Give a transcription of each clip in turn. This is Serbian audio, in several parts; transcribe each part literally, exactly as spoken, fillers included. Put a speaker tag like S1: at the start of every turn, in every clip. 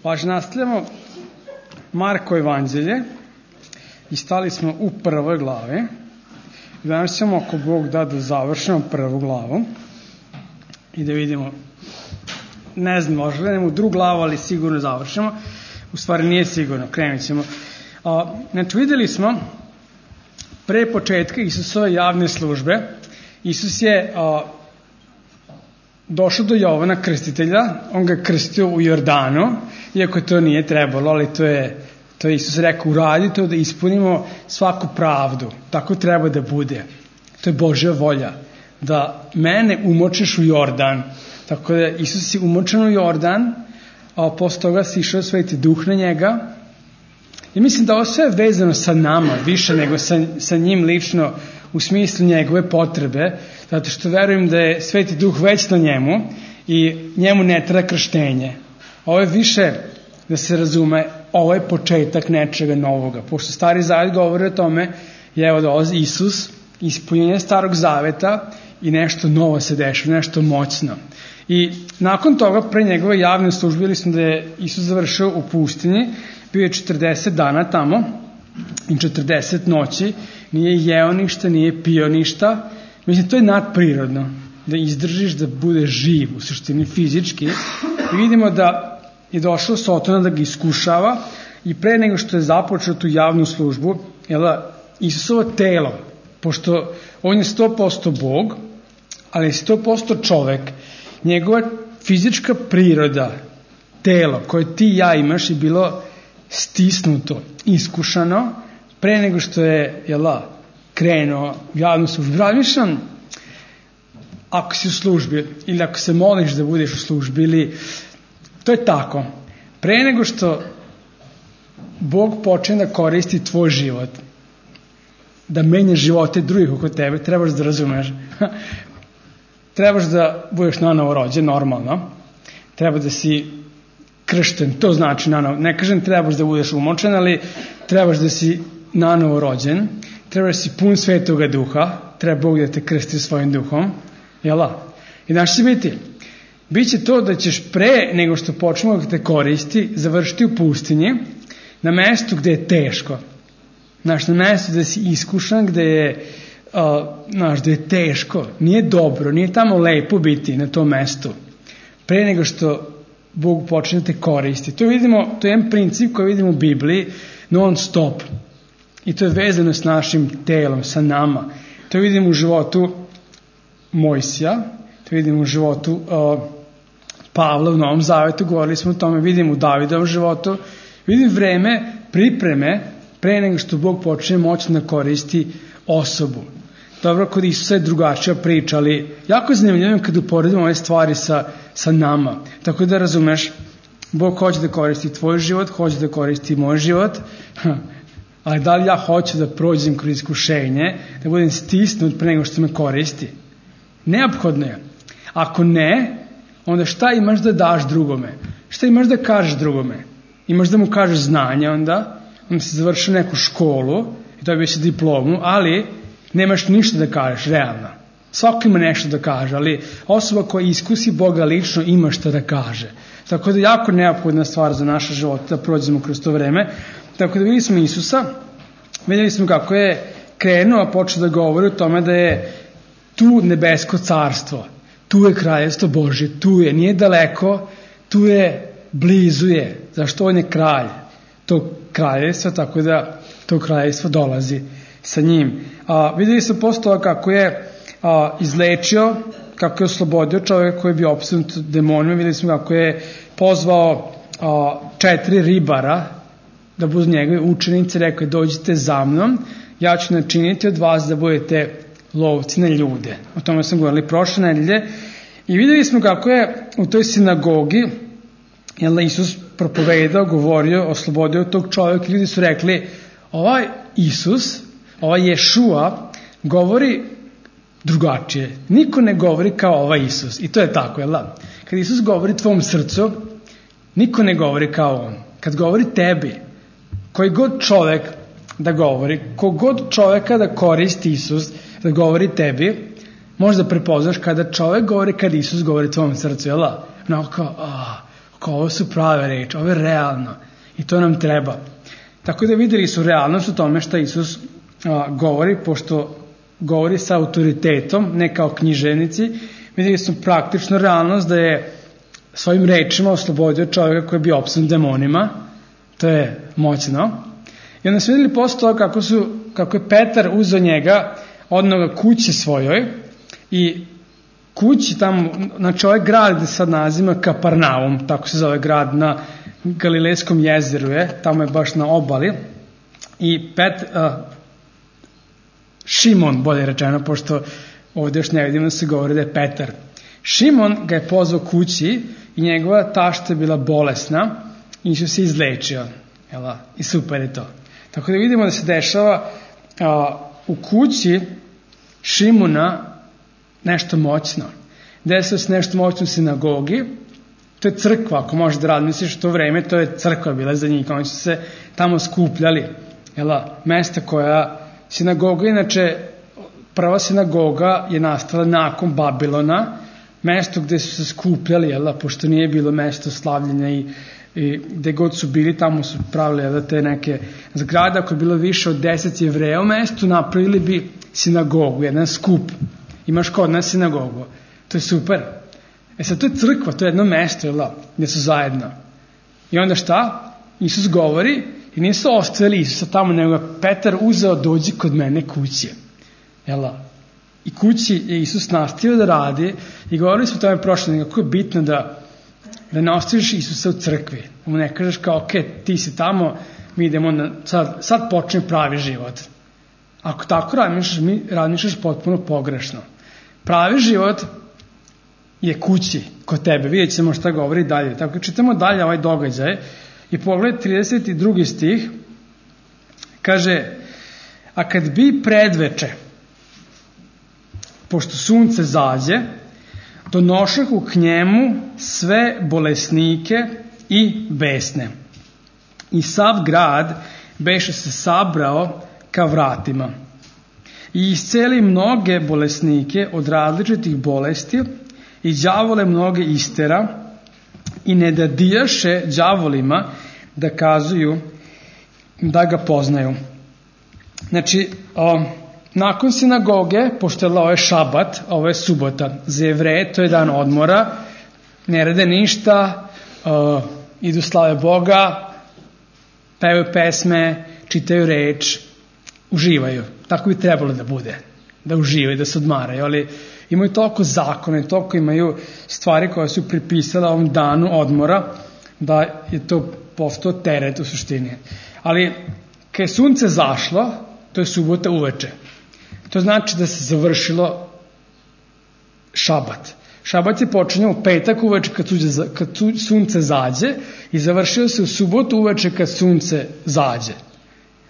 S1: Važi, nastavljamo Marko evanđelje i stali smo u prvoj glavi. Danas ćemo, ako Bog da, da završimo prvu glavu i da vidimo, ne znam, možda gledamo u drugu glavu, ali sigurno završimo. U stvari nije sigurno, krenut ćemo. A, znači, videli smo pre početka Isusove javne službe. Isus je a, došao do Jovana Krstitelja, on ga je krstio u Jordanu, iako to nije trebalo, ali to je, to je Isus rekao, uradi to da ispunimo svaku pravdu, tako treba da bude. To je Božja volja, da mene umočiš u Jordan. Tako da Isus je umočen u Jordan, a posle toga si išao Sveti Duh na njega. I mislim da ovo sve je vezano sa nama, više nego sa, sa njim lično, u smislu njegove potrebe, zato što verujem da je Sveti Duh već na njemu i njemu ne treba krštenje. Ovo je više, da se razume, ovo je početak nečega novoga. Pošto Stari Zavet govori o tome, je evo dolazi Isus, ispunjenje Starog Zaveta i nešto novo se dešava, nešto moćno. I nakon toga, pre njegove javne službe, videli smo da je Isus završio u pustinji, bio je četrdeset dana tamo i četrdeset noći, nije jeo ništa, nije pio ništa. Mislim, to je nadprirodno, da izdržiš, da budeš živ, u suštini fizički. I vidimo da je došao Sotona da ga iskušava i pre nego što je započeo tu javnu službu, jela, Isusovo telo, pošto on je sto posto Bog, ali je sto posto čovek, njegova fizička priroda, telo koje ti i ja imaš je bilo stisnuto, iskušano, pre nego što je, jela, krenuo javnu službu. Razmišljam, ako si u službi ili ako se moliš da budeš u službi, ili to je tako. Pre nego što Bog počne da koristi tvoj život, da menja živote drugih oko tebe, trebaš da razumeš. Trebaš da budeš nanovo rođen, normalno. Treba da si kršten, to znači nanovo. Ne kažem trebaš da budeš umočen, ali trebaš da si nanovo rođen. Trebaš da si pun Svetoga Duha. Treba Bog da te krsti svojim duhom. Jela? I znaš će biti? Biće to da ćeš pre nego što počnemo da te koristi, završiti u pustinji, na mestu gde je teško. Znaš, na mestu gde si iskušan, gde je, uh, znaš, gde je teško. Nije dobro, nije tamo lepo biti na tom mestu. Pre nego što Bog počne da te koristi. To vidimo, to je jedan princip koji vidimo u Bibliji non stop. I to je vezano s našim telom, sa nama. To vidimo u životu Mojsija, to vidimo u životu uh, Pavla u Novom Zavetu, govorili smo o tome, vidimo u Davidovom životu, vidim vreme pripreme pre nego što Bog počne moćno da koristi osobu. Dobro, kod Isusa je drugačija priča, ali jako je zanimljivo kad uporedimo ove stvari sa, sa nama. Tako da razumeš, Bog hoće da koristi tvoj život, hoće da koristi moj život, ali da li ja hoću da prođem kroz iskušenje, da budem stisnut pre nego što me koristi? Neophodno je. Ako ne, onda šta imaš da daš drugome? Šta imaš da kažeš drugome? Imaš da mu kažeš znanje onda, onda si završio neku školu i dobio si diplomu, ali nemaš ništa da kažeš, realno. Svako ima nešto da kaže, ali osoba koja iskusi Boga lično ima šta da kaže. Tako da jako neophodna stvar za naše živote da prođemo kroz to vreme. Tako da videli smo Isusa, videli smo kako je krenuo, a počeo da govori o tome da je tu nebesko carstvo, tu je kraljevstvo Božje, tu je, nije daleko, tu je, blizu je, zašto on je kralj tog kraljevstva, tako da to kraljevstvo dolazi sa njim. A, videli smo posle toga kako je a, izlečio, kako je oslobodio čovjeka koji je bio opsednut demonima, videli smo kako je pozvao a, četiri ribara da budu njegovi učenici, rekao je dođite za mnom, ja ću načiniti od vas da budete lovci na ljude. O tome sam govorili prošle nedelje. I videli smo kako je u toj sinagogi jel, Isus propovedao, govorio, oslobodio tog čovjeka. Ljudi su rekli, ovaj Isus, ovaj Ješua, govori drugačije. Niko ne govori kao ovaj Isus. I to je tako, jel da? Kad Isus govori tvom srcu, niko ne govori kao on. Kad govori tebi, koji god čovjek da govori, kogod čovjeka da koristi Isus, da govori tebi, možda prepoznaš kada čovjek govori, kada Isus govori tvom srcu, jel da? Onako kao, a, kao ovo su prave reči, ovo je realno i to nam treba. Tako da videli su realnost u tome što Isus a, govori, pošto govori sa autoritetom, ne kao književnici, videli su praktično realnost da je svojim rečima oslobodio čovjeka koji je bio opsan demonima, to je moćno. I onda su videli posle toga kako, su, kako je Petar uzeo njega, odnoga kući svojoj i kući tamo, znači ovaj grad gde sad nazima Kaparnaum, tako se zove grad na Galilejskom jezeru je, tamo je baš na obali i Pet, uh, Šimon, bolje rečeno, pošto ovdje još ne vidimo da se govori da je Petar. Šimon ga je pozvao kući i njegova tašta je bila bolesna i Isus se izlečio. Jela? I super je to. Tako da vidimo da se dešava a, u kući Šimona nešto moćno. Desilo se nešto moćno u sinagogi. To je crkva, ako možeš da razmisliš u to vreme, to je crkva bila za njih. Oni su se tamo skupljali. Jela? Mesta koja, sinagoga, inače, prva sinagoga je nastala nakon Babilona, mesto gde su se skupljali, jela, pošto nije bilo mesto slavljenja i, i gde god su bili, tamo su pravili, jela, te neke zgrade. Ako je bilo više od deset Jevreja u mestu, napravili bi sinagogu, jedan skup. Imaš kod nas sinagogu. To je super. E sad, to je crkva, to je jedno mesto, jela, gde su zajedno. I onda šta? Isus govori i nisu ostavili Isusa tamo, nego Petar uzeo, dođi kod mene kući. Jela? I kući je Isus nastavio da radi i govorili smo o tome prošle, kako je bitno da, da ne ostaviš Isusa u crkvi. Da mu ne kažeš kao, ok, ti si tamo, mi idemo na, sad, sad počne pravi život. Ako tako razmišljaš, mi razmišljaš potpuno pogrešno. Pravi život je kući kod tebe. Vidjet ćemo šta govori dalje. Tako čitamo dalje ovaj događaj i pogled trideset drugi stih kaže, a kad bi predveče, pošto sunce zađe, donošahu k njemu sve bolesnike i besne. I sav grad beše se sabrao ka vratima. I isceli mnoge bolesnike od različitih bolesti i đavole mnoge istera i ne dadijaše đavolima da kazuju da ga poznaju. Znači, o, nakon sinagoge, pošto je ovo je šabat, ovo je subota, za Jevreje to je dan odmora, ne rade ništa, uh, idu slave Boga, pevaju pesme, čitaju reč, uživaju. Tako bi trebalo da bude, da uživaju, da se odmaraju, ali imaju toliko zakone, toliko imaju stvari koje su pripisale ovom danu odmora, da je to postao teret u suštini. Ali, kad je sunce zašlo, to je subota uveče. To znači da se završilo šabat. Šabat je počinjao u petak uveče kad, suđe, kad sunce zađe i završio se u subotu uveče kad sunce zađe.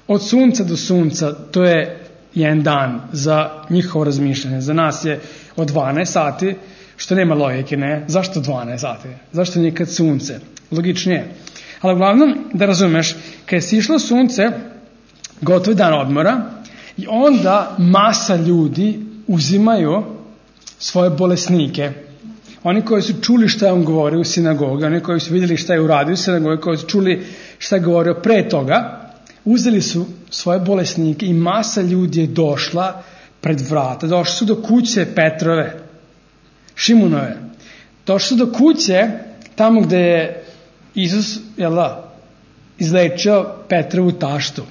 S1: Od sunca do sunca to je jedan dan za njihovo razmišljanje. Za nas je od dvanaest sati, što nema logike, ne? Zašto dvanaest sati? Zašto nije kad sunce? Logičnije. Ali uglavnom, da razumeš, kad je sišlo sunce, gotov dan odmora, i onda masa ljudi uzimaju svoje bolesnike. Oni koji su čuli šta je on govorio u sinagogi, oni koji su vidjeli šta je uradio u sinagogi, koji su čuli šta je govorio pre toga, uzeli su svoje bolesnike i masa ljudi je došla pred vrata. Došli su do kuće Petrove, Šimunove. Došli su do kuće tamo gde je Isus, jel da, izlečio Petrovu taštu.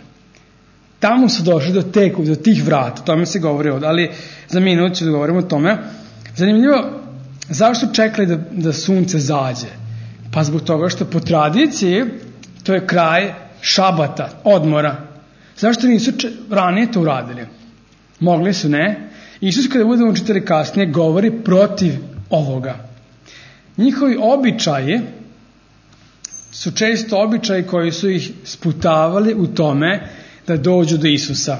S1: Tamo su došli do teku, do tih vrata, o tome se govori ovdje, ali za minut ću da govorimo o tome. Zanimljivo, zašto su čekali da, da sunce zađe? Pa zbog toga što po tradiciji to je kraj šabata, odmora. Zašto nisu če, ranije to uradili? Mogli su, ne? Isus, kada budemo čitali kasnije, govori protiv ovoga. Njihovi običaji su često običaji koji su ih sputavali u tome da dođu do Isusa.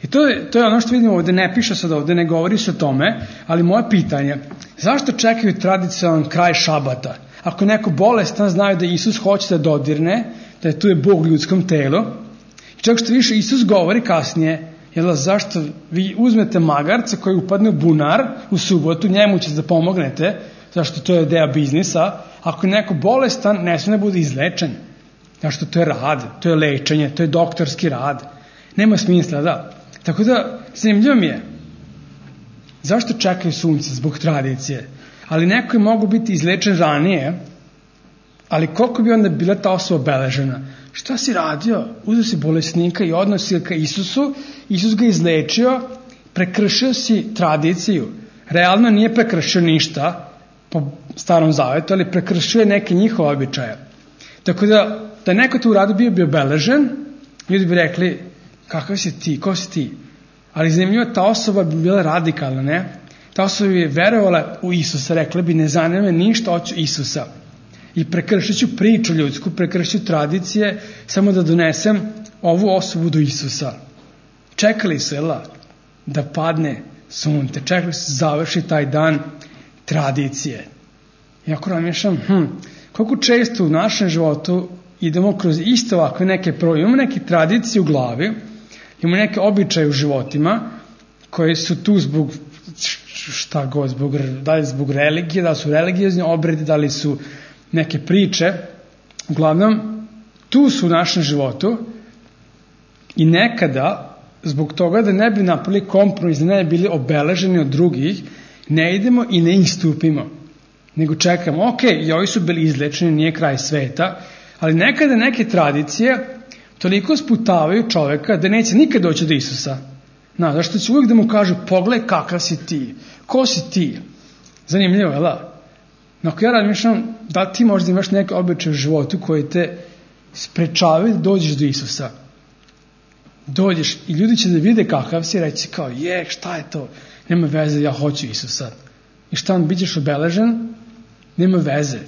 S1: I to je, to je ono što vidimo ovdje, ne piše sad ovdje, ne govori se o tome, ali moje pitanje, zašto čekaju tradicionalan kraj šabata? Ako neko bolestan, znaju da Isus hoće da dodirne, da je tu je Bog u ljudskom telu, i čak što više Isus govori kasnije, jel, zašto vi uzmete magarca koji upadne u bunar u subotu, njemu ćete da pomognete, zašto to je deo biznisa. Ako je neko bolestan, ne smije da bude izlečen. Zašto to je rad, to je lečenje, to je doktorski rad. Nema smisla, da. Tako da, zanimljivo mi je. Zašto čekaju sunce? Zbog tradicije. Ali neko je mogu biti izlečen ranije, ali koliko bi onda bila ta osoba obeležena? Šta si radio? Uzeo si bolesnika i odnosio ka Isusu, Isus ga izlečio, prekršio si tradiciju. Realno nije prekršio ništa po starom zavetu, ali prekršio je neke njihove običaje. Tako da, da neko to uradio bio bi obeležen, ljudi bi rekli, kakav si ti, ko si ti? Ali zanimljivo, ta osoba bi bila radikalna, ne? Ta osoba bi verovala u Isusa, rekla bi, ne zanima me ništa, hoću Isusa. I prekršit ću priču ljudsku, prekršit ću tradicije, samo da donesem ovu osobu do Isusa. Čekali su, jela, da padne sunce, čekali su završi taj dan tradicije. I ako razmišljam, hm, koliko često u našem životu idemo kroz isto ovakve neke proje, imamo neke tradicije u glavi, imamo neke običaje u životima, koje su tu zbog šta god, zbog, da li zbog religije, da li su religiozni obredi, da li su neke priče, uglavnom, tu su u našem životu i nekada, zbog toga da ne bi napravili kompromis, da ne bi bili obeleženi od drugih, ne idemo i ne istupimo, nego čekamo, ok, i ovi su bili izlečeni, nije kraj sveta, ali nekada neke tradicije toliko sputavaju čoveka da neće nikad doći do Isusa. Na, zašto će uvijek da mu kažu, pogledaj kakav si ti, ko si ti? Zanimljivo, jel da? No, ako ja razmišljam, da ti možda imaš neke običaje u životu koji te sprečavaju da dođeš do Isusa. Dođeš i ljudi će da vide kakav si, reći kao, je, šta je to? Nema veze, ja hoću Isusa. I šta on, bit ćeš obeležen? Nema veze.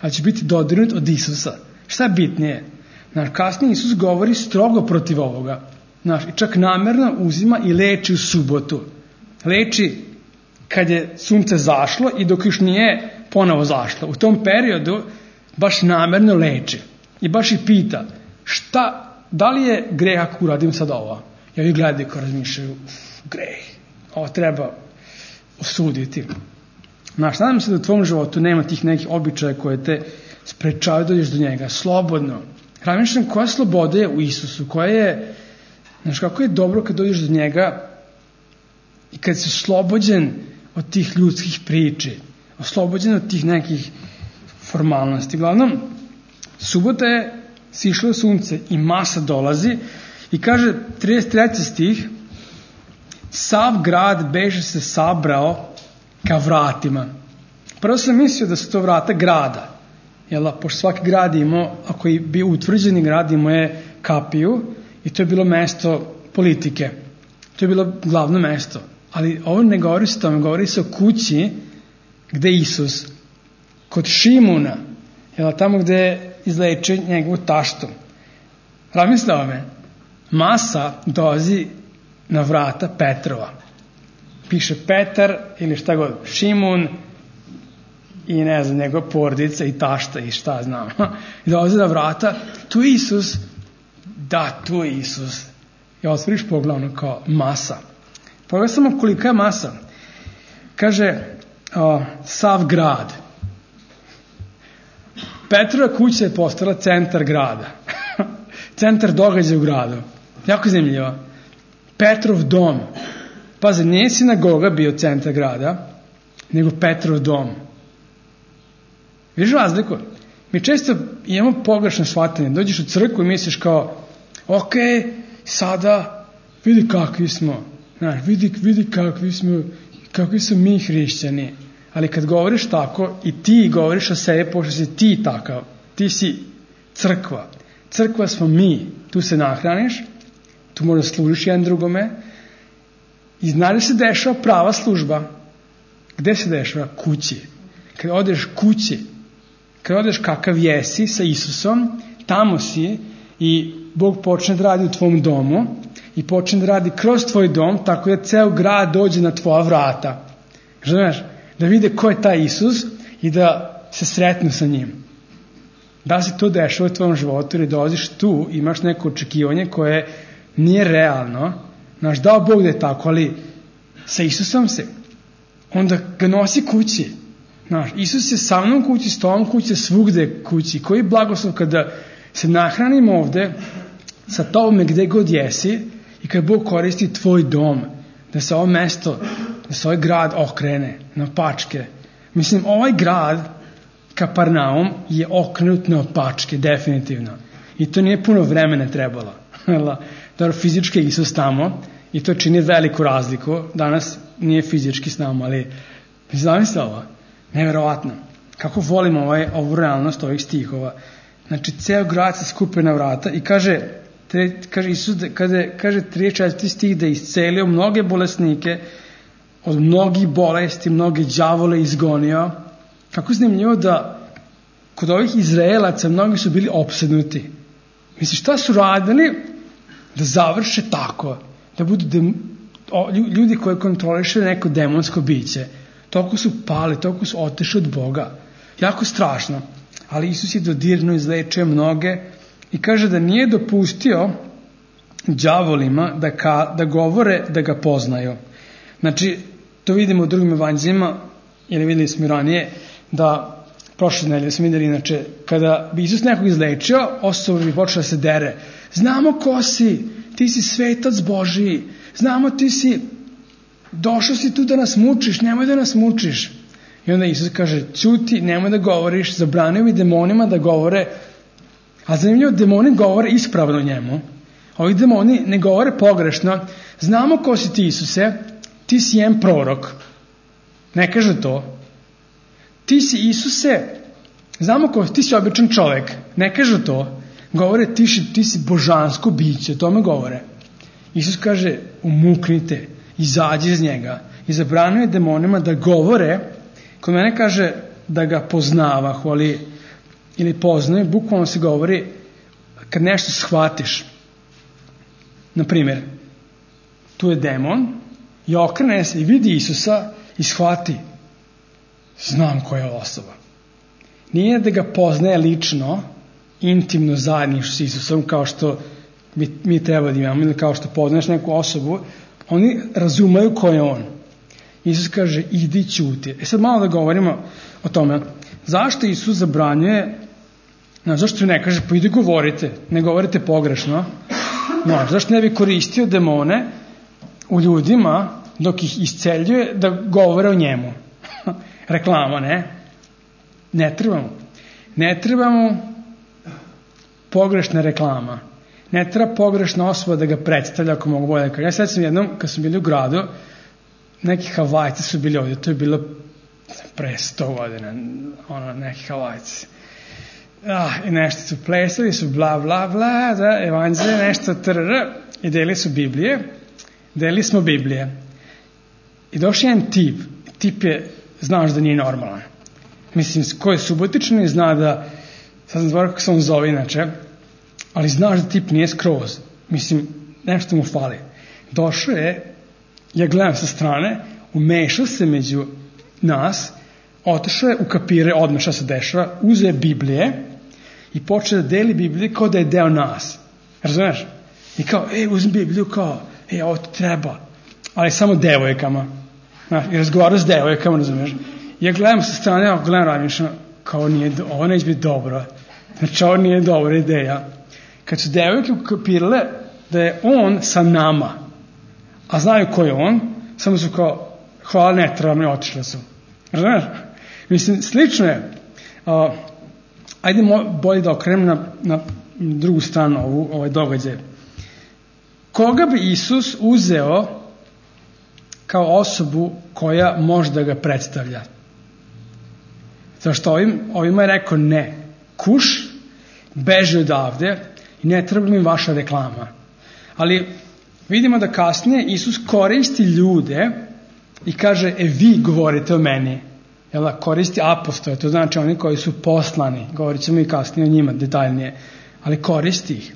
S1: Ali će biti dodirnut od Isusa. Šta je bitnije? Znaš, kasnije Isus govori strogo protiv ovoga. Znaš, i čak namerno uzima i leči u subotu. Leči kad je sunce zašlo i dok još nije ponovo zašlo. U tom periodu baš namerno leči. I baš i pita, šta, da li je greh ako uradim sad ovo? Ja vi gledaju kao razmišljaju, greh, ovo treba osuditi. Znaš, nadam se da u tvom životu nema tih nekih običaja koje te sprečavaju da dođeš do njega. Slobodno. Razmišljam koja sloboda je u Isusu, koja je, znaš, kako je dobro kad dođeš do njega i kad si oslobođen od tih ljudskih priči, oslobođen od tih nekih formalnosti. Uglavnom, subota je sišlo sunce i masa dolazi i kaže trideset treći stih, sav grad beže se sabrao ka vratima. Prvo sam mislio da su to vrata grada, jel, pošto svaki grad imao, ako je bio utvrđeni grad, imao je kapiju i to je bilo mesto politike. To je bilo glavno mesto. Ali ovo ne govori se o tome, govori se o kući gde Isus, kod Šimuna, jel, tamo gde je izlečio njegovu taštu. Razmislite o me, masa dolazi na vrata Petrova. Piše Petar ili šta god, Šimun i ne znam, njegova porodica i tašta i šta znam. I dolazi na vrata, tu je Isus, da, tu je Isus. I otvoriš poglavno kao masa. Pogledaj samo kolika je masa. Kaže, o, sav grad. Petrova kuća je postala centar grada. Centar događaja u gradu. Jako zanimljivo. Petrov dom. Pazi, nije sinagoga bio centar grada, nego Petrov dom. Vidiš razliku? Mi često imamo pogrešno shvatanje. Dođeš u crkvu i misliš kao, ok, sada vidi kakvi smo. Znaš, vidi, vidi kakvi smo, kakvi smo mi hrišćani. Ali kad govoriš tako i ti govoriš o sebi, pošto si ti takav, ti si crkva. Crkva smo mi. Tu se nahraniš, tu možda služiš jedan drugome. I znaš da se dešava prava služba. Gde se dešava? Kući. Kad odeš kući, kad odeš kakav jesi sa Isusom, tamo si i Bog počne da radi u tvom domu i počne da radi kroz tvoj dom, tako da ceo grad dođe na tvoja vrata. Znaš, da vide ko je taj Isus i da se sretnu sa njim. Da se to dešava u tvojom životu ili dolaziš tu, imaš neko očekivanje koje nije realno. Znaš, dao Bog da je tako, ali sa Isusom se. Onda ga nosi kući. Znaš, Isus je sa mnom kući, s tobom kući, svugde kući. Koji blagoslov kada se nahranimo ovde, sa tobom gde god jesi i kad Bog koristi tvoj dom, da se ovo mesto, da se ovaj grad okrene na pačke. Mislim, ovaj grad, Kaparnaum, je okrenut na pačke, definitivno. I to nije puno vremena trebalo. Dobro, fizički Isus tamo i to čini veliku razliku. Danas nije fizički s nama, ali zamislite ovo, nevjerovatno. Kako volimo ovaj, ovu realnost ovih stihova. Znači, ceo grad se skupe na vrata i kaže, tre, kaže Isus, kada, kaže trideset četvrti stih da je iscelio mnoge bolesnike, od mnogih bolesti, mnoge đavole izgonio. Kako zanimljivo da kod ovih Izraelaca mnogi su bili opsednuti. Misli, šta su radili da završe tako, da budu dem, o, ljudi koji kontroliše neko demonsko biće. Toliko su pali, toliko su otešli od Boga. Jako strašno. Ali Isus je dodirno izlečio mnoge i kaže da nije dopustio đavolima da, ka, da govore da ga poznaju. Znači, to vidimo u drugim evanđeljima, ili videli smo ranije, da prošle nedelje smo videli, inače, kada bi Isus nekog izlečio, osoba bi počela da se dere. Znamo ko si, ti si svetac Božiji, znamo ti si, došao si tu da nas mučiš, nemoj da nas mučiš. I onda Isus kaže, ćuti, nemoj da govoriš, zabranio mi demonima da govore, a zanimljivo, demoni govore ispravno njemu. Ovi demoni ne govore pogrešno. Znamo ko si ti, Isuse, ti si jedan prorok. Ne kaže to. Ti si, Isuse, znamo ko, ti si običan čovek. Ne kaže to. Govore, ti si, ti si božansko biće, tome govore. Isus kaže, umuknite, izađi iz njega. I zabranio je demonima da govore. Kod mene kaže da ga poznavahu, ali ili poznaju, bukvalno se govori kad nešto shvatiš. Naprimjer, tu je demon i okrene se i vidi Isusa i shvati, znam koja je osoba. Nije da ga poznaje lično, intimno zajedništvo s Isusom, kao što mi, mi treba da imamo, ili kao što poznaješ neku osobu, oni razumaju ko je on. Isus kaže, idi ćuti. E sad malo da govorimo o tome. Zašto Isus zabranjuje, no, zašto ne kaže, pa idi govorite, ne govorite pogrešno. No, zašto ne bi koristio demone u ljudima dok ih isceljuje da govore o njemu? Reklama, ne? Ne trebamo. Ne trebamo pogrešna reklama. Ne treba pogrešna osoba da ga predstavlja, ako mogu bolje. Ja sad sam jednom, kad sam bili u gradu, neki Havajci su bili ovdje, to je bilo pre sto godina, ono, neki Havajci. Ah, i nešto su plesali, su bla, bla, bla, da, evanđelje, nešto, trr, i deli su Biblije, deli smo Biblije. I došao jedan tip, tip je, znaš da nije normalan. Mislim, ko je subotičan i zna da, sad znam zbog kako se on zove inače, ali znaš da tip nije skroz. Mislim, nešto mu fali. Došao je, ja gledam sa strane, umešao se među nas, otišao je, ukapire odmah šta se dešava, uzeo Biblije i počeo da deli Biblije kao da je deo nas. Razumeš? I kao, ej, uzmi Bibliju, kao, ej, ovo ti treba. Ali samo devojkama. Znaš, i razgovarao s devojkama, razumeš? Ja gledam sa strane, ja gledam razmišljam, kao nije, ovo neće biti dobro. Znači, ovo nije dobra ideja. Kad su devojke ukapirale da je on sa nama, a znaju ko je on, samo su kao, hvala, ne trebam, ne otišle su. Razumeš? Mislim, slično je. Uh, ajde bolje da okrenem na, na drugu stranu ovu, ovaj događaj. Koga bi Isus uzeo kao osobu koja može da ga predstavlja? Zašto ovim, ovima je rekao ne. Kuš, beži odavde i ne treba mi vaša reklama. Ali vidimo da kasnije Isus koristi ljude i kaže, e vi govorite o meni. Jel da, koristi apostole, to znači oni koji su poslani. Govorit ćemo i kasnije o njima detaljnije. Ali koristi ih.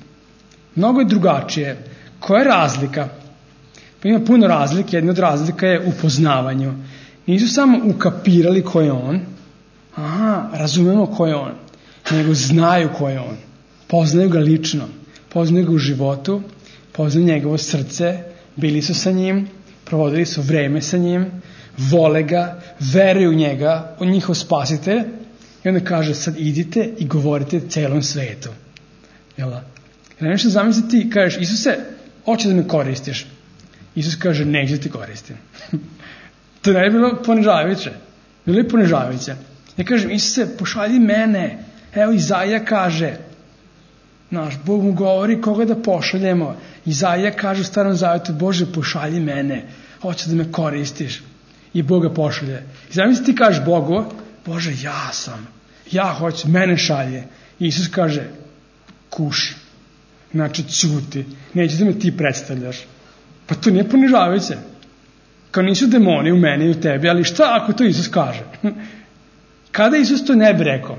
S1: Mnogo je drugačije. Koja je razlika? Pa ima puno razlike. Jedna od razlika je u poznavanju. Nisu samo ukapirali ko je on. Aha, razumemo ko je on. Nego znaju ko je on. Poznaju ga lično. Poznaju ga u životu. Poznaju njegovo srce. Bili su sa njim. Provodili su vreme sa njim. vole ga, veruju u njega, on njihov spasitelj, i onda kaže, sad idite i govorite celom svetu. Jel da? Jer nešto zamisliti ti, kažeš, Isuse, hoće da me koristiš. Isus kaže, neće da ti koristim. To ne je bilo ponižavajuće. Bilo je ponižavajuće. Ja kažem, Isuse, pošalji mene. Evo, Izaija kaže, naš Bog mu govori koga da pošaljemo. Izaija kaže u Starom Zavetu, Bože, pošalji mene. Hoće da me koristiš. I Bog ga pošalje. I zamisli ti kažeš Bogu, Bože, ja sam. Ja hoću, mene šalje. I Isus kaže, kuši. Znači, ćuti. Neće da me ti predstavljaš. Pa to nije ponižavajuće. Kao nisu demoni u meni i u tebi, ali šta ako to Isus kaže? Kada Isus to ne bi rekao?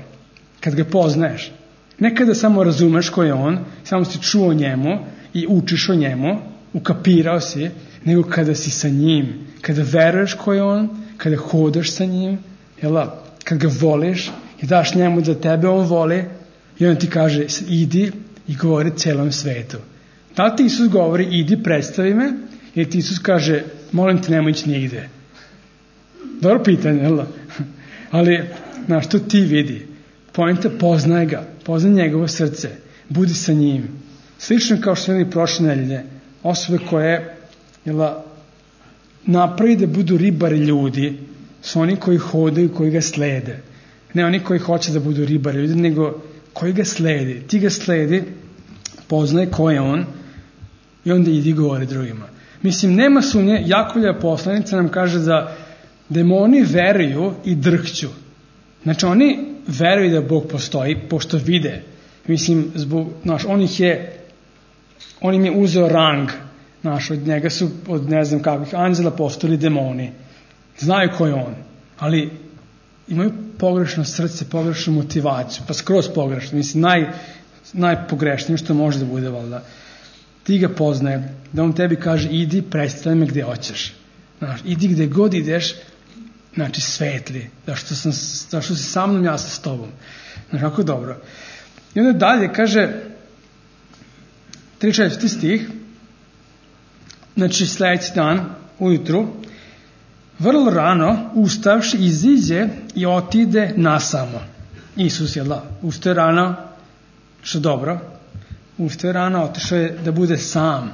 S1: Kad ga poznaješ. Ne kada samo razumeš ko je on, samo si čuo o njemu i učiš o njemu, ukapirao si, nego kada si sa njim, kada veruješ ko je on, kada hodaš sa njim, jela, kad ga voliš i daš njemu da tebe on voli i on ti kaže idi i govori celom svetu. Da li ti Isus govori idi predstavi me ili ti Isus kaže molim te nemoj ići nigde? Dobro pitanje, jela? Ali, znaš, to ti vidi. Poenta, poznaj ga, poznaj njegovo srce, budi sa njim. Slično kao što smo imali prošle nedelje, osobe koje jela, napravi da budu ribari ljudi, su oni koji hodaju, koji ga slede. Ne oni koji hoće da budu ribari ljudi, nego koji ga sledi. Ti ga sledi, poznaj ko je on i onda idi govori drugima. Mislim, nema sumnje, Jakovlja poslanica nam kaže da demoni veruju i drhću. Znači, oni veruju da Bog postoji, pošto vide. Mislim, zbog, znaš, on ih je, on im je uzeo rang, znaš, od njega su, od ne znam kakvih anđela postali demoni. Znaju ko je on, ali imaju pogrešno srce, pogrešnu motivaciju, pa skroz pogrešno. Mislim, naj, najpogrešnije što može da bude, valjda. Ti ga poznaje, da on tebi kaže, idi, predstavi me gde hoćeš. Znaš, idi gde god ideš, znači svetli, zašto, sam, zašto si sa mnom, ja sam s tobom. Znaš, kako dobro. I onda dalje kaže, trideset četvrti stih, znači sledeći dan, ujutru, vrlo rano, ustavši, iziđe i otide nasamo. Isus je da, ustaje rano, što dobro, ustaje rano, otišao je da bude sam.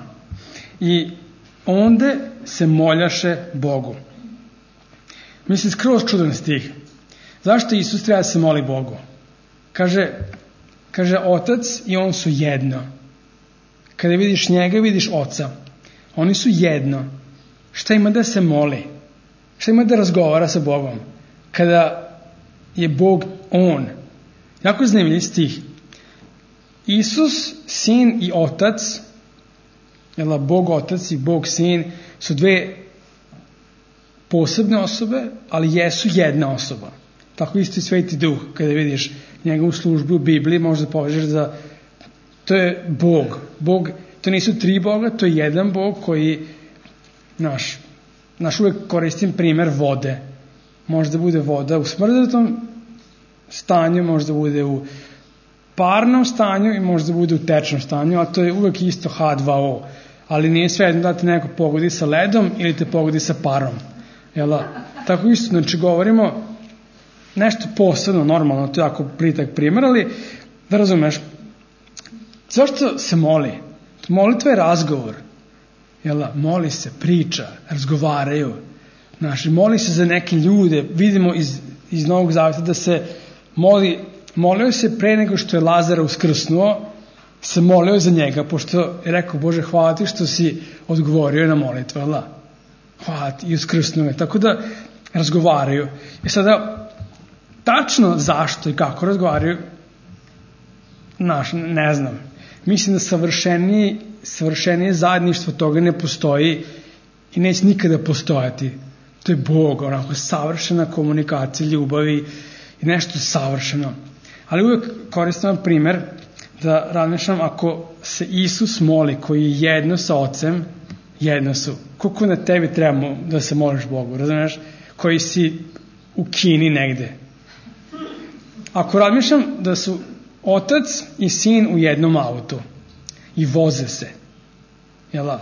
S1: I onda se moljaše Bogu. Mislim, skroz čudan stih. Zašto Isus treba da se moli Bogu? Kaže, kaže, Otac i on su jedno. Kada vidiš njega, vidiš Oca. Oni su jedno. Šta ima da se moli? Šta ima da razgovara sa Bogom? Kada je Bog on. Jako zanimljiv stih. Isus, Sin i Otac, jel, Bog Otac i Bog Sin su dve posebne osobe, ali jesu jedna osoba. Tako isto i Sveti Duh, kada vidiš njegovu službu u Bibliji, možda povežeš da to je Bog. Bog, to nisu tri Boga, to je jedan Bog koji, naš, naš uvek koristim primer vode. Možda bude voda u smrdatom stanju, možda bude u parnom stanju i možda bude u tečnom stanju, a to je uvek isto H dva O. Ali nije svejedno da te neko pogodi sa ledom ili te pogodi sa parom. Jela? Tako isto, znači govorimo nešto posebno, normalno, to je jako plitak primjer, ali da razumeš, zašto se moli? Molitva je razgovor. Jela? Moli se, priča, razgovaraju. Znači, moli se za neke ljude. Vidimo iz, iz Novog Zaveta da se moli, molio se pre nego što je Lazara uskrsnuo, se molio za njega, pošto je rekao, Bože, hvala ti što si odgovorio na molitvu, jel? Hvala ti, i uskrsnuo je. Tako da razgovaraju. I sada, tačno zašto i kako razgovaraju, naš, ne znam. Mislim da savršenije, savršenije zajedništvo toga ne postoji i neće nikada postojati. To je Bog, onako savršena komunikacija, ljubavi i nešto savršeno. Ali uvek koristam primer da razmišljam, ako se Isus moli koji je jedno sa Ocem, jedno su. Koliko na tebi treba da se moliš Bogu, razumiješ? Koji si u Kini negde. Ako razmišljam da su Otac i Sin u jednom autu i voze se, jel'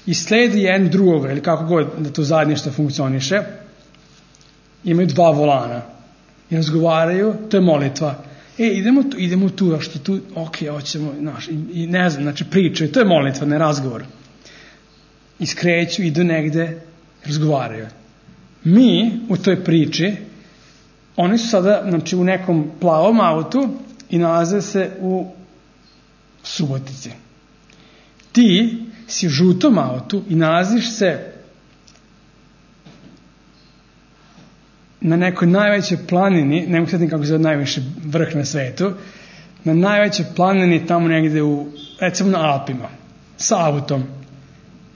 S1: i sledi jedan drugoga, ili kako god da to zajedništvo funkcioniše, imaju dva volana i razgovaraju, to je molitva. E, idemo tu, idemo tu, a što tu, ok, hoćemo, znaš, i, i ne znam, znači pričaju, to je molitva, ne razgovor. Iskreću, idu negde, razgovaraju. Mi u toj priči, oni su sada, znači, u nekom plavom autu i nalaze se u Subotici. Ti si u žutom autu i nalaziš se na nekoj najvećoj planini, ne mogu sjetiti kako se zove najviši vrh na svetu, na najvećoj planini tamo negde u, recimo na Alpima, sa autom.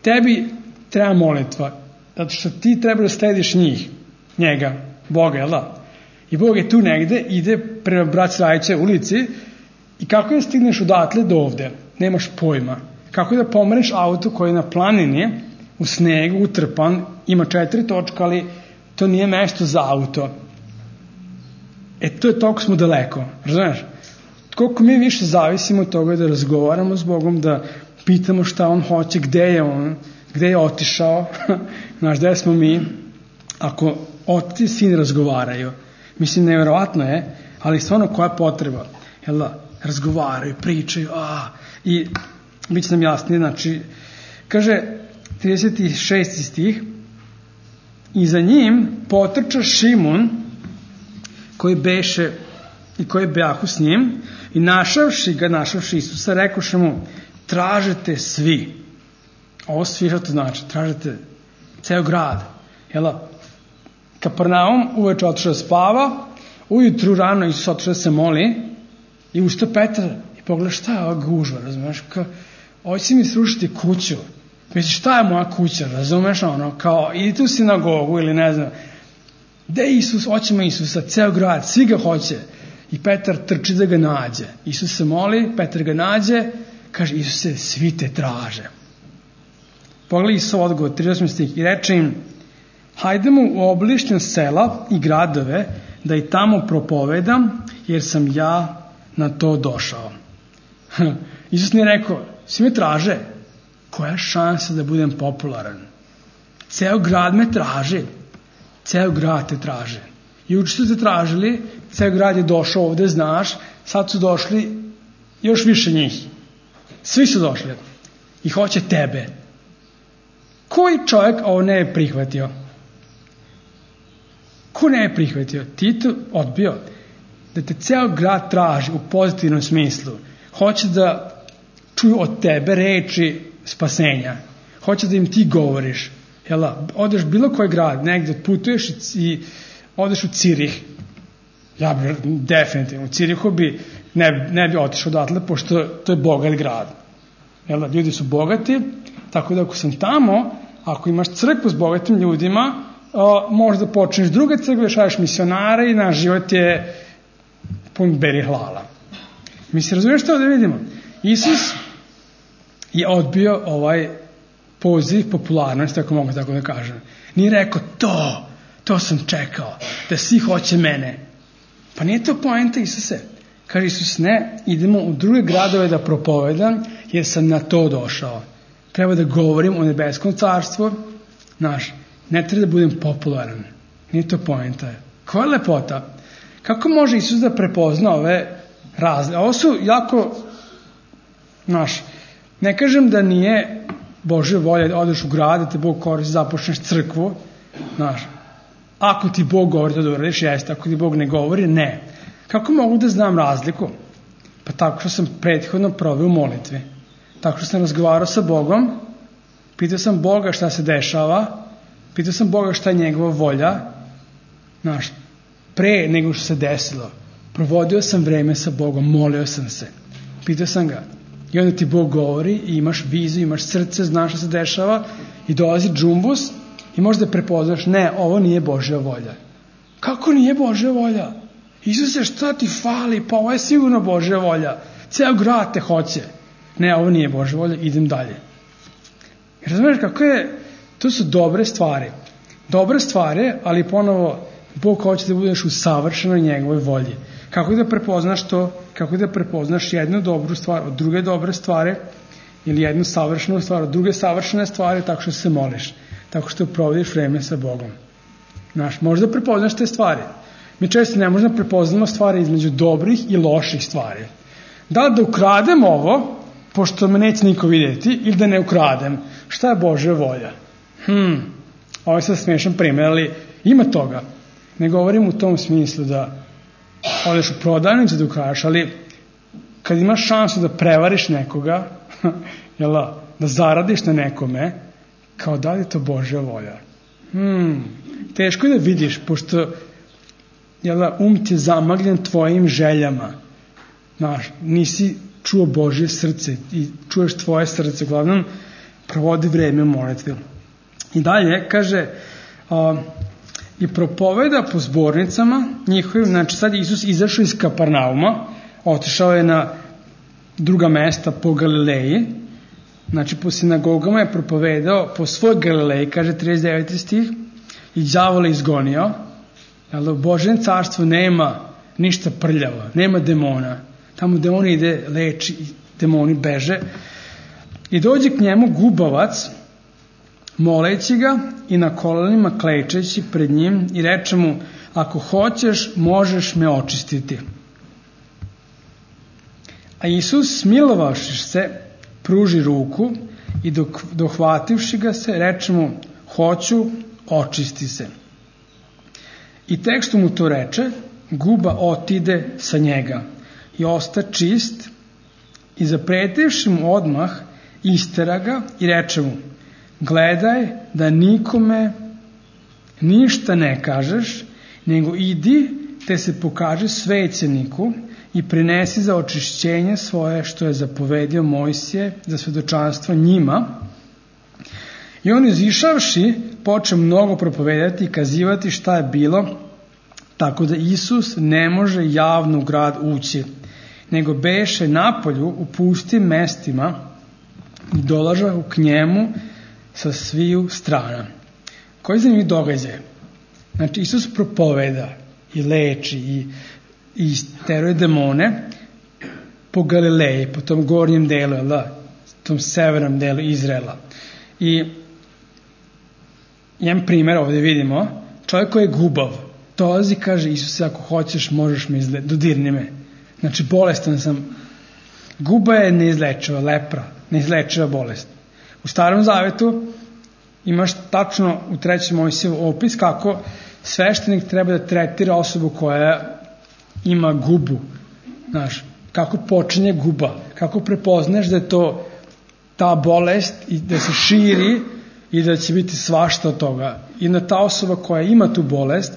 S1: Tebi treba molitva, zato što ti treba da slediš njih, njega, Boga, jel da? I Bog je tu negde, ide prema Braće Rajiće ulici i kako da stigneš odatle do ovde? Nemaš pojma. Kako da pomereš auto koji je na planini, u snegu, utrpan, ima četiri točka, ali to nije mesto za auto. E, to je toliko smo daleko, razumiješ? Koliko mi više zavisimo od toga da razgovaramo s Bogom, da pitamo šta on hoće, gde je on, gde je otišao, znaš, gde smo mi, ako otac i sin razgovaraju. Mislim, nevjerovatno je, ali stvarno koja je potreba? Jel da? Razgovaraju, pričaju, a, i bit će nam jasnije, znači, kaže, trideset šesti stih, i za njim potrča Šimun, koji beše i koji bejahu s njim, i našavši ga, našavši Isusa, rekoše mu, tražete svi. Ovo svi što to znači, tražete ceo grad. Jela, Kapernaum uveče otišao da spava, ujutru rano Isus otišao da se moli i ustao Petar i pogleda šta je ova gužva, razumeš, kao, ovo će mi srušiti kuću. Misliš, šta je moja kuća, razumeš, ono, kao, idite u sinagogu ili ne znam, gde je Isus, hoćemo Isusa, ceo grad, svi ga hoće. I Petar trči da ga nađe. Isus se moli, Petar ga nađe, kaže, Isuse, svi te traže. Pogledaj Isus odgovor, trideset osmi stih, i reče im, hajdemo u obližnja sela i gradove, da i tamo propovedam, jer sam ja na to došao. Isus nije rekao, svi me traže, koja je šansa da budem popularan? Ceo grad me traži, ceo grad te traže. I uči su te tražili, ceo grad je došao ovde, znaš, sad su došli još više njih. Svi su došli i hoće tebe. Koji čovjek ovo ne je prihvatio? Ko ne je prihvatio? Ti to odbio. Da te ceo grad traži u pozitivnom smislu. Hoće da čuju od tebe reči spasenja. Hoće da im ti govoriš. Jela, odeš bilo koji grad, negdje putuješ i odeš u Cirih. Ja bi definitivno u Cirihu bi ne, ne bi otišao odatle, pošto to je bogat grad. Jela, ljudi su bogati, tako da ako sam tamo, ako imaš crkvu s bogatim ljudima, o, možda počneš druge crkve, šalješ misionare i naš život je pun beri hlala. Mi se razumiješ što da vidimo? Isus je odbio ovaj poziv popularnosti, ako mogu tako da kažem. Nije rekao to, to sam čekao, da svi hoće mene. Pa nije to poenta Isuse. Kaže Isus, ne, idemo u druge gradove da propovedam, jer sam na to došao. Treba da govorim o nebeskom carstvu, znaš, ne treba da budem popularan. Nije to poenta. Koja je lepota? Kako može Isus da prepozna ove razlike? Ovo su jako, znaš, ne kažem da nije Božja volja da odeš u grad, da te Bog koristi, započneš crkvu, znaš, ako ti Bog govori da uradiš, jeste, ako ti Bog ne govori, ne. Kako mogu da znam razliku? Pa tako što sam prethodno proveo u molitvi. Tako što sam razgovarao sa Bogom, pitao sam Boga šta se dešava, pitao sam Boga šta je njegova volja, znaš, pre nego što se desilo. Provodio sam vreme sa Bogom, molio sam se, pitao sam ga. I onda ti Bog govori i imaš viziju, imaš srce, znaš šta se dešava i dolazi džumbus i možda prepoznaš, ne, ovo nije Božja volja. Kako nije Božja volja? Isuse, šta ti fali? Pa ovo je sigurno Božja volja. Ceo grad te hoće. Ne, ovo nije Božja volja, idem dalje. Razumiješ kako je? To su dobre stvari. Dobre stvari, ali ponovo Bog hoće da budeš u savršenoj njegovoj volji. Kako da prepoznaš to? Kako da prepoznaš jednu dobru stvar od druge dobre stvari ili jednu savršenu stvar od druge savršene stvari, tako što se moliš, tako što provodiš vreme sa Bogom. Znaš, možda prepoznaš te stvari. Mi često ne možemo prepoznamo stvari između dobrih i loših stvari. Da li da ukradem ovo, pošto me neće niko vidjeti, ili da ne ukradem? Šta je Božja volja? Hmm, ovo je sad smiješan primjer, ali ima toga. Ne govorim u tom smislu da odeš u prodavnicu da ukradeš, ali kad imaš šansu da prevariš nekoga, jel, da zaradiš na nekome, kao da li je to Božja volja? Hmm, teško je da vidiš, pošto jel, um ti je zamagljen tvojim željama. Znaš, nisi čuo Božje srce i čuješ tvoje srce, uglavnom provodi vreme u molitvi. I dalje, kaže, a, i propoveda po zbornicama njihovim, znači sad Isus izašao iz Kaparnauma, otišao je na druga mesta po Galileji, znači po sinagogama je propovedao po svoj Galileji, kaže trideset deveti stih, i đavola izgonio, jer u Božjem carstvu nema ništa prljavo, nema demona. Tamo demoni ide, leči, demoni beže. I dođe k njemu gubavac, moleći ga i na kolenima klečeći pred njim i reče mu, ako hoćeš, možeš me očistiti. A Isus, smilovavši se, pruži ruku i dok, dohvativši ga se, reče mu, hoću, očisti se. I tekstu mu to reče, guba otide sa njega i osta čist i zapretevši mu odmah istera ga i reče mu, gledaj da nikome ništa ne kažeš, nego idi te se pokaže svećeniku i prinesi za očišćenje svoje što je zapovedio Mojsije za svedočanstvo njima. I on izišavši poče mnogo propovedati i kazivati šta je bilo, tako da Isus ne može javno u grad ući, nego beše napolju u pustim mestima i dolaža k njemu sa sviju strana. Koji zanimljiv događaj? Znači, Isus propoveda i leči i, i teruje demone po Galileji, po tom gornjem delu, da, tom severnom delu Izraela. I jedan primjer ovdje vidimo, čovjek koji je gubav, dolazi i kaže, Isuse, ako hoćeš, možeš me izle... dodirni me. Znači, bolestan sam. Guba je neizlečiva, lepra, neizlečiva bolest. U Starom Zavetu imaš tačno u trećem Mojsijevu opis kako sveštenik treba da tretira osobu koja ima gubu. Znaš, kako počinje guba, kako prepoznaš da je to ta bolest i da se širi i da će biti svašta od toga. I da ta osoba koja ima tu bolest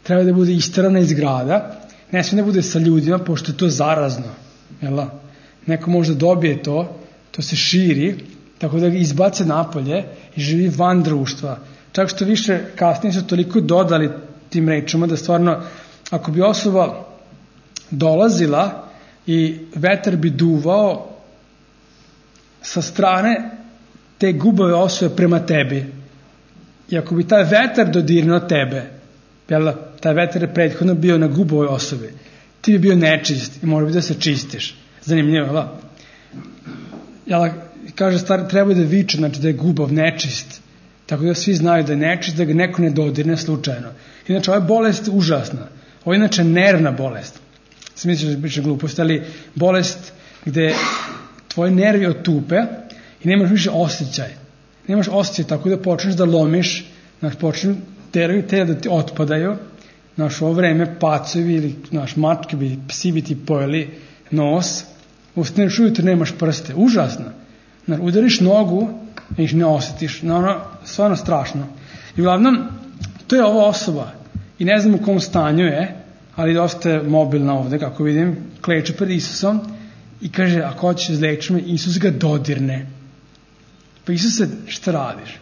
S1: treba da bude isterana iz grada, ne smije da bude sa ljudima, pošto je to zarazno. Jel? Neko možda dobije to, to se širi, tako da ga izbace napolje i živi van društva. Čak što više kasnije su toliko dodali tim rečima da stvarno, ako bi osoba dolazila i vetar bi duvao sa strane te gubave osobe prema tebi, i ako bi taj vetar dodirnuo tebe, jel, taj vetar je prethodno bio na gubovoj osobi, ti bi bio nečist i mora bi da se čistiš. Zanimljivo, jel? Jel, kaže stvar, treba da viče, znači da je gubav nečist, tako da svi znaju da je nečist, da ga neko ne dodirne slučajno. Inače, ova je bolest užasna. Ovo je inače nervna bolest. Sam misliš da je biće glupost, ali bolest gde tvoji nervi otupe i nemaš više osjećaj. Nemaš osjećaj tako da počneš da lomiš, znači počneš te da ti otpadaju, znaš, u ovo vreme pacovi ili naš mačke bi, psi bi ti pojeli nos, ustaneš ujutro, nemaš prste, užasno. Znaš, udariš nogu i ne osjetiš, no, ono, stvarno strašno. I uglavnom, to je ova osoba i ne znam u kom stanju je, ali dosta je mobilna ovde, kako vidim, kleče pred Isusom i kaže, ako hoćeš izleči me, Isus ga dodirne. Pa Isuse, šta radiš?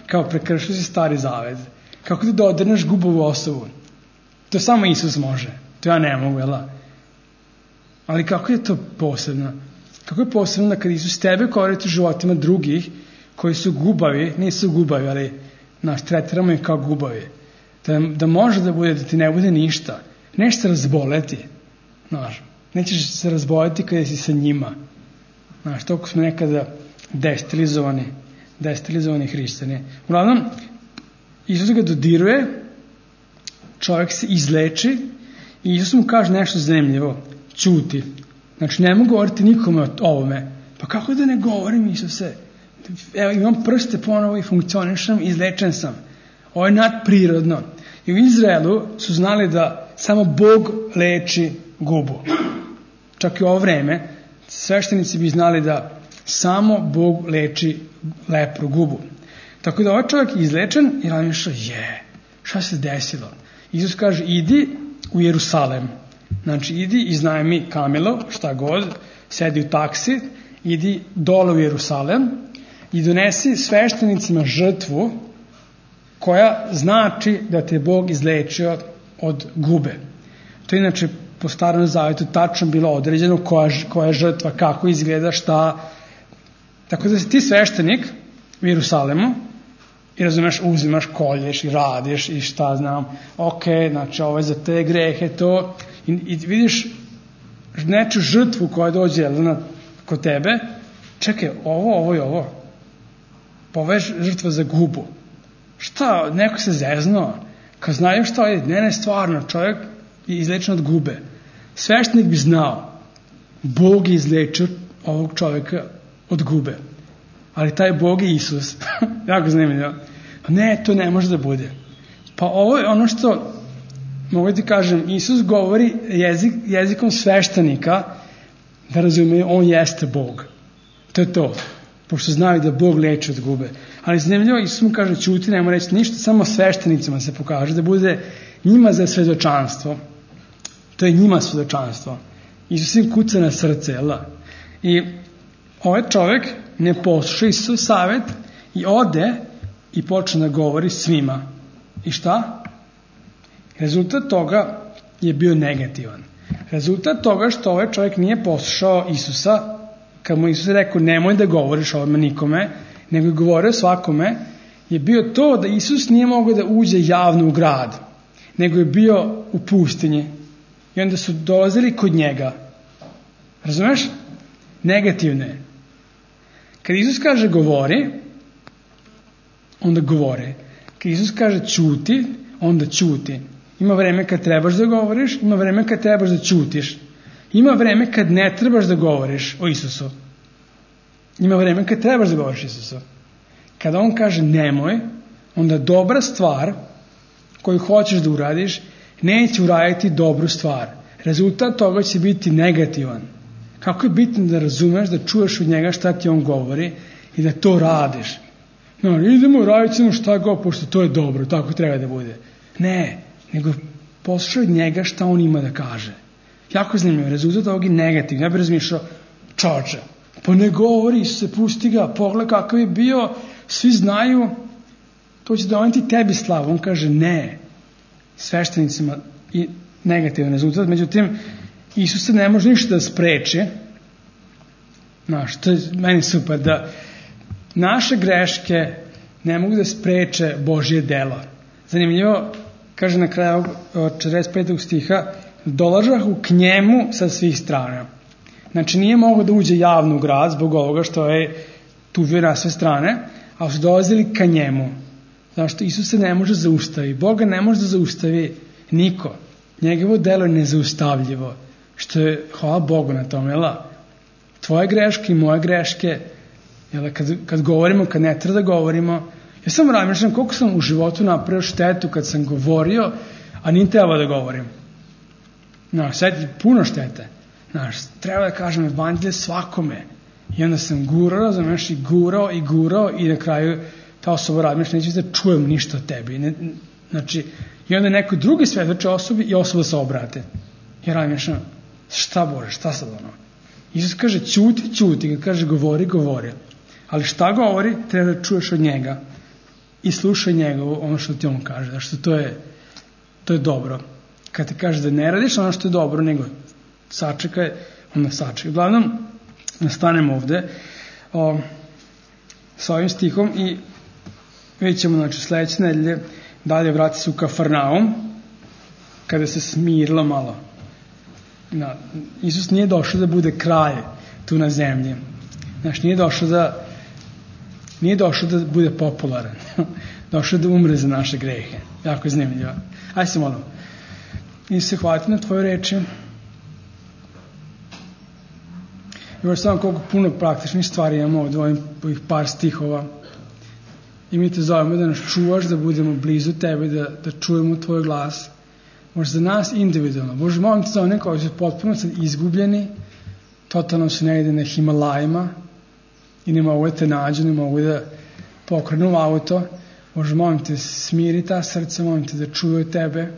S1: Kao prekršio si Stari Zavet. Kako ti dodirneš gubovu osobu? To samo Isus može. To ja ne mogu, jel? Ali kako je to posebno? Kako je posebno da kad Isus tebe koristi u životima drugih koji su gubavi, nisu gubavi, ali naš tretiramo ih kao gubavi. Da, da može da bude, da ti ne bude ništa. Neće se razboleti. Znaš, nećeš se razboleti kada si sa njima. Znaš, toliko smo nekada destilizovani, destilizovani hrišćani. Uglavnom, Isus ga dodiruje čovjek se izleči i Isus mu kaže nešto zanimljivo. Ćuti. Znači, ne mogu govoriti nikome o ovome. Pa kako da ne govorim, Isuse? Evo, imam prste ponovo i funkcionišem, izlečen sam. Ovo je nadprirodno. I u Izraelu su znali da samo Bog leči gubu. Čak i u ovo vreme sveštenici bi znali da samo Bog leči lepru, gubu. Tako da ovaj čovjek je izlečen i razmišlja, je, šta se desilo? Isus kaže, idi u Jerusalem. Znači, idi, iznajmi kamilo, šta god, sedi u taksi, idi dole u Jerusalem i donesi sveštenicima žrtvu koja znači da te Bog izlečio od gube. To je inače po Starom Zavetu tačno bilo određeno koja, koja je žrtva, kako izgleda, šta. Tako da si ti sveštenik u Jerusalemu i razumeš, uzimaš, kolješ i radiš i šta znam, ok, znači ovo je za te grehe, to, i, i vidiš neču žrtvu koja dođe na, kod tebe, čekaj, ovo, ovo i ovo, pa ovo je žrtva za gubu. Šta, neko se zeznuo, kad znaju šta je, ne, ne, stvarno, čovjek je izlečen od gube. Sveštenik bi znao, Bog je izlečio ovog čovjeka od gube. Ali taj Bog je Isus. Jako zanimljivo. Ne, to ne može da bude. Pa ovo je ono što, mogu ti kažem, Isus govori jezik, jezikom sveštenika da razumeju, on jeste Bog. To je to. Pošto znaju da Bog leči od gube. Ali zanimljivo, Isus mu kaže, ćuti, nema reći ništa, samo sveštenicima se pokaže, da bude njima za svedočanstvo. To je njima svedočanstvo. Isus im kuca na srce, jel da? I ovaj čovjek ne posluša Isusov savjet i ode i počne da govori svima. I šta? Rezultat toga je bio negativan. Rezultat toga što ovaj čovjek nije poslušao Isusa, kad mu Isus rekao nemoj da govoriš ovome nikome, nego je govorio svakome, je bio to da Isus nije mogao da uđe javno u grad, nego je bio u pustinji. I onda su dolazili kod njega. Razumeš? Negativne. Kad Isus kaže govori, onda govore. Kad Isus kaže ćuti, onda ćuti. Ima vreme kad trebaš da govoriš, ima vreme kad trebaš da ćutiš. Ima vreme kad ne trebaš da govoriš o Isusu. Ima vreme kad trebaš da govoriš o Isusu. Kada on kaže nemoj, onda dobra stvar koju hoćeš da uradiš, neće uraditi dobru stvar. Rezultat toga će biti negativan. Kako je bitno da razumeš, da čuješ od njega šta ti on govori i da to radiš. No, idemo, radit ćemo šta go, pošto to je dobro, tako treba da bude. Ne, nego poslušaj od njega šta on ima da kaže. Jako zanimljivo, rezultat ovog je negativno. Ja bih razmišljao, čoče, pa ne govori se, pusti ga, pogled kakav je bio, svi znaju, to će doneti tebi slavu. On kaže ne, sveštenicima i negativan rezultat. Međutim, Isus se ne može ništa da spreči. Znaš, to je meni super, da naše greške ne mogu da spreče Božje delo. Zanimljivo, kaže na kraju četrdeset petog stiha, dolažahu k njemu sa svih strana. Znači, nije mogao da uđe javno u grad zbog ovoga što je tuvio na sve strane, ali su dolazili ka njemu. Zašto? Isus se ne može zaustaviti. Boga ne može da zaustavi niko. Njegovo delo je nezaustavljivo. Što je, hvala Bogu na tome, jel? Tvoje greške i moje greške, jel? Kad, kad govorimo, kad ne treba da govorimo. Ja sam razmišljam koliko sam u životu napravio štetu kad sam govorio, a nije treba da govorim. Znaš, sad je puno štete. Znaš, treba da kažem evanđelje svakome. I onda sam gurao, znaš, i gurao, i gurao, i na kraju ta osoba razmišlja, neće da čujem ništa od tebi. Ne, znači, i onda neko drugi svedoče osobi i osoba se obrate. I razmišljam, šta Bože, šta sad ono? Isus kaže, ćuti, ćuti, kad kaže, govori, govori. Ali šta govori, treba da čuješ od njega. I slušaj njegovo, ono što ti on kaže. Zašto to je, to je dobro. Kad ti kaže da ne radiš ono što je dobro, nego sačekaj, onda sačekaj. Uglavnom, nastanemo ovde o, sa ovim stihom i vidjet ćemo, znači, sledeće nedelje dalje vrati se u Kafarnaum, kada se smirilo malo. Na, Isus nije došao da bude kralj tu na zemlji. Znači, nije došao da Nije došao da bude popularan. Došao da umre za naše grehe. Jako je zanimljivo. Ajde se molimo. I se hvaliti na tvoje reči. I možda samo koliko puno praktičnih stvari imamo od ovih par stihova. I mi te zovemo da nas čuvaš, da budemo blizu tebe, da, da čujemo tvoj glas. Možda za nas individualno. Bože, molim te za one koji su potpuno sad izgubljeni, totalno su negde na Himalajima i ne mogu da te nađu, ne mogu da pokrenu auto. Bože, molim te, smiri ta srca, molim te da čuju tebe,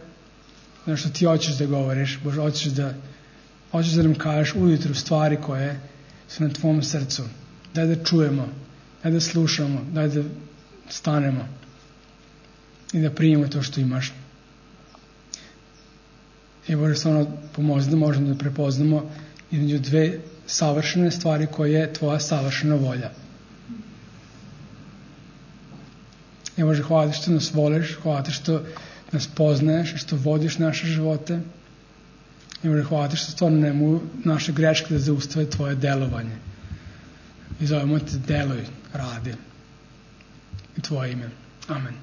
S1: znaš što ti hoćeš da govoriš. Bože, hoćeš da, hoćeš da nam kažeš ujutru stvari koje su na tvom srcu. Daj da čujemo, daj da slušamo, daj da stanemo i da primimo to što imaš. I Bože, stvarno pomozi da možemo da prepoznamo između dve savršene stvari koje je tvoja savršena volja. I Bože, hvala ti što nas voliš, hvala ti što nas poznaješ i što vodiš naše živote. I Bože, hvala ti što stvarno ne mogu naše greške da zaustave tvoje delovanje. I zovemo te, deluj, radi. I tvoje ime. Amen.